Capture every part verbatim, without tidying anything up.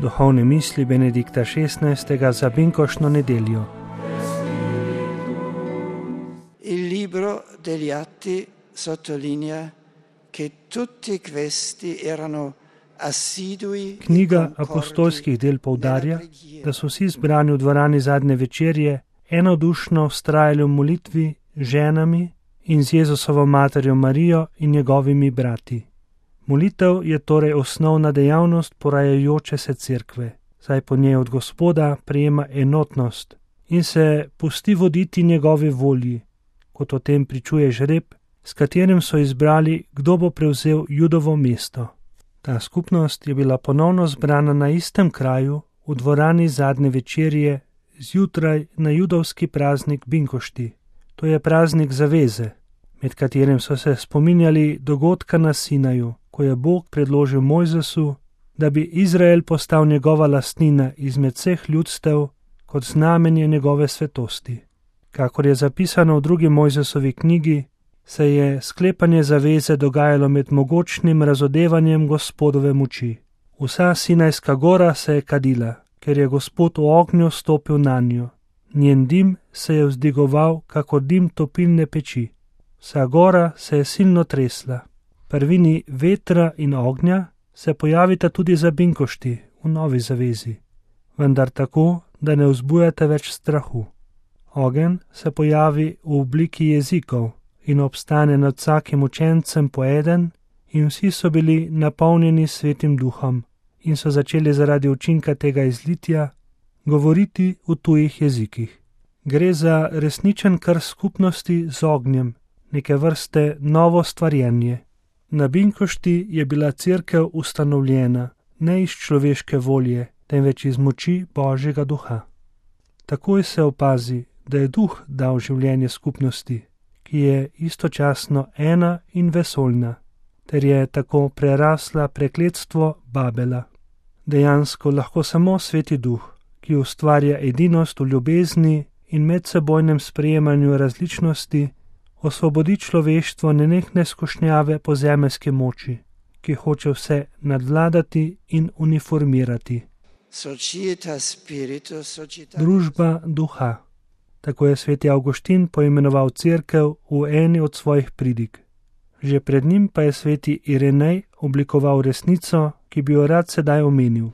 Duhovne misli Benedikta šestnajstega za binkoštno nedeljo. Il libro degli Atti sottolinea che tutti questi erano assidui. Knjiga apostolskih del poudarja, da so vsi zbrani v dvorani zadnje večerje enodušno vztrajali v molitvi z ženami in z Jezusovo materjo Marijo in njegovimi brati. Molitev je torej osnovna dejavnost porajajoče se cerkve, saj po njej od Gospoda prejema enotnost in se pusti voditi njegovi volji, kot o tem pričuje žreb, s katerim so izbrali, kdo bo prevzel Judovo mesto. Ta skupnost je bila ponovno zbrana na istem kraju, v dvorani zadnje večerje, zjutraj na judovski praznik Binkošti. To je praznik zaveze, med katerim so se spominjali dogodka na Sinaju, ko je Bog predložil Mojzesu, da bi Izrael postal njegova lastnina izmed vseh ljudstev kot znamenje njegove svetosti. Kakor je zapisano v drugi Mojzesovi knjigi, se je sklepanje zaveze dogajalo med mogočnim razodevanjem Gospodove moči. Vsa Sinajska gora se je kadila, ker je Gospod v ognju stopil nanjo. Njen dim se je vzdigoval, kakor dim topilne peči. Vsa gora se je silno tresla. Prvini vetra in ognja se pojavita tudi za binkošti v novi zavezi, vendar tako, da ne vzbujate več strahu. Ogenj se pojavi v obliki jezikov in obstane nad vsakim učencem po eden in vsi so bili napolnjeni Svetim Duhom in so začeli zaradi učinka tega izlitja govoriti v tujih jezikih. Gre za resničen krst skupnosti z ognjem, neke vrste novo stvarjenje. Na binkošti je bila cerkev ustanovljena ne iz človeške volje, temveč iz moči Božjega duha. Takoj se opazi, da je duh dal življenje skupnosti, ki je istočasno ena in vesoljna, ter je tako prerasla prekletstvo Babela. Dejansko lahko samo Sveti duh, ki ustvarja edinost v ljubezni in medsebojnem sprejemanju različnosti, osvobodi človeštvo nenehne skušnjave po zemeljski moči, ki hoče vse nadvladati in uniformirati. Družba duha. Tako je sveti Avguštin poimenoval cerkev v eni od svojih pridig. Že pred njim pa je sveti Irenej oblikoval resnico, ki bi jo rad sedaj omenil.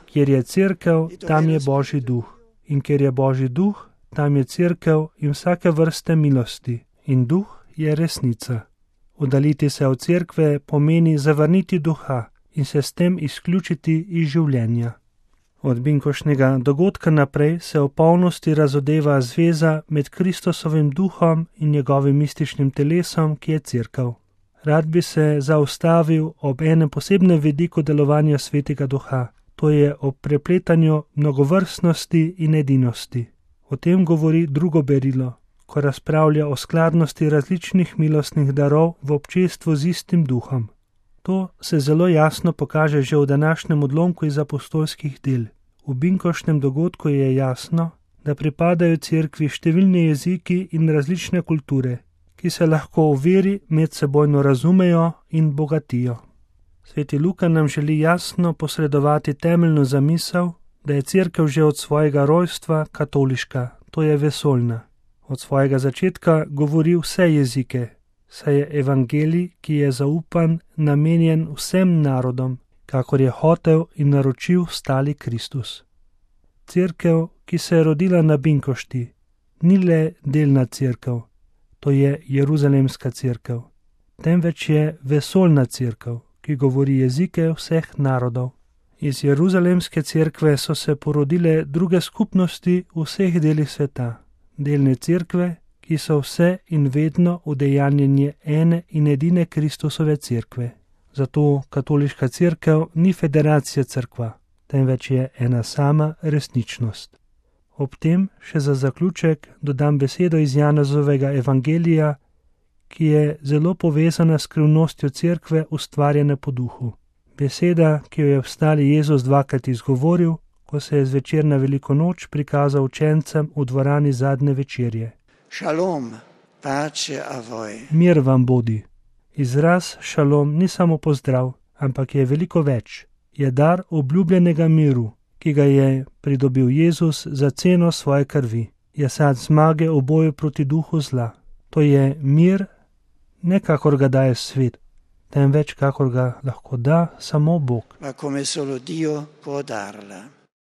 Kjer je cerkev, tam je Božji duh. In ker je Božji duh, tam je cerkev in vsake vrste milosti. In duh je resnica. Oddaliti se od cerkve pomeni zavrniti duha in se s tem izključiti iz življenja. Od binkošnega dogodka naprej se v polnosti razodeva zveza med Kristusovim duhom in njegovim mističnim telesom, ki je cerkev. Rad bi se zaustavil ob enem posebnem vidiku delovanja Svetega duha. To je o prepletanju mnogovrstnosti in edinosti. O tem govori drugo berilo, ko razpravlja o skladnosti različnih milostnih darov v občestvu z istim duhom. To se zelo jasno pokaže že v današnjem odlomku iz apostolskih del. V binkoštnem dogodku je jasno, da pripadajo cerkvi številni jeziki in različne kulture, ki se lahko v veri medsebojno razumejo in bogatijo. Sveti Luka nam želi jasno posredovati temeljno zamisel, da je cerkev že od svojega rojstva katoliška, to je vesoljna. Od svojega začetka govori vse jezike, saj je evangelij, ki je zaupan, namenjen vsem narodom, kakor je hotel in naročil stali Kristus. Cerkev, ki se je rodila na binkošti, ni le delna cerkev, to je Jeruzalemska cerkev, temveč je vesoljna cerkev, ki govori jezike vseh narodov. Iz Jeruzalemske cerkve so se porodile druge skupnosti v vseh delih sveta, delne cerkve, ki so vse in vedno udejanjenje ene in edine Kristusove cerkve. Zato katoliška cerkev ni federacija cerkva, temveč je ena sama resničnost. Ob tem še za zaključek dodam besedo iz Janezovega evangelija, ki je zelo povezana s skrivnostjo cerkve ustvarjene po duhu. Beseda, ki jo je vstali Jezus dvakrat izgovoril, ko se je zvečer na veliko noč prikazal učencem v dvorani zadnje večerje. Šalom, pace a voi. Mir vam bodi. Izraz šalom ni samo pozdrav, ampak je veliko več. Je dar obljubljenega miru, ki ga je pridobil Jezus za ceno svoje krvi. Je sad zmage v boju proti duhu zla. To je mir, ne kakor ga daje svet, temveč kakor ga lahko da samo Bog. Ma come solo Dio può darla.